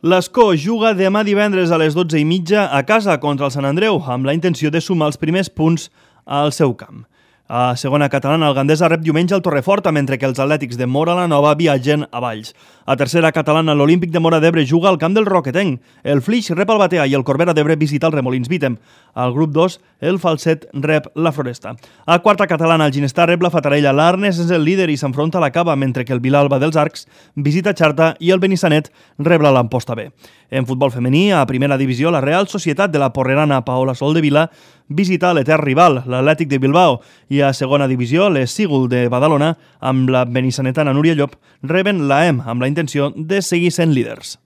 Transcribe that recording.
L'Escó juga demà divendres a les 12:30 a casa contra el Sant Andreu, amb la intenció de sumar els primers punts al seu camp. A segona catalana, el Gandesa rep diumenge el Torreforta, mentre que els atlètics de Móra la Nova viatgen a Valls. A tercera catalana, l'Olímpic de Móra d'Ebre juga al camp del Roquetenc. El Flix rep el Batea i el Corbera d'Ebre visita el Remolins Vítem. Al grup 2, el Falset rep la Floresta. A quarta catalana, el Ginestar rep la Fatarella. L'Arnes és el líder i s'enfronta a la Cava, mentre que el Vilalba dels Arcs visita Xarta i el Benissanet rep la Lamposta B. En futbol femení, a primera divisió, la Real Societat de la Porrerana Paola Soldevila visita l'etern rival, l'Atlètic de Bilbao, i a segona divisió, les Sígul de Badalona, amb la benissanetana Núria Llop, reben l'AEM amb la intenció de seguir sent líders.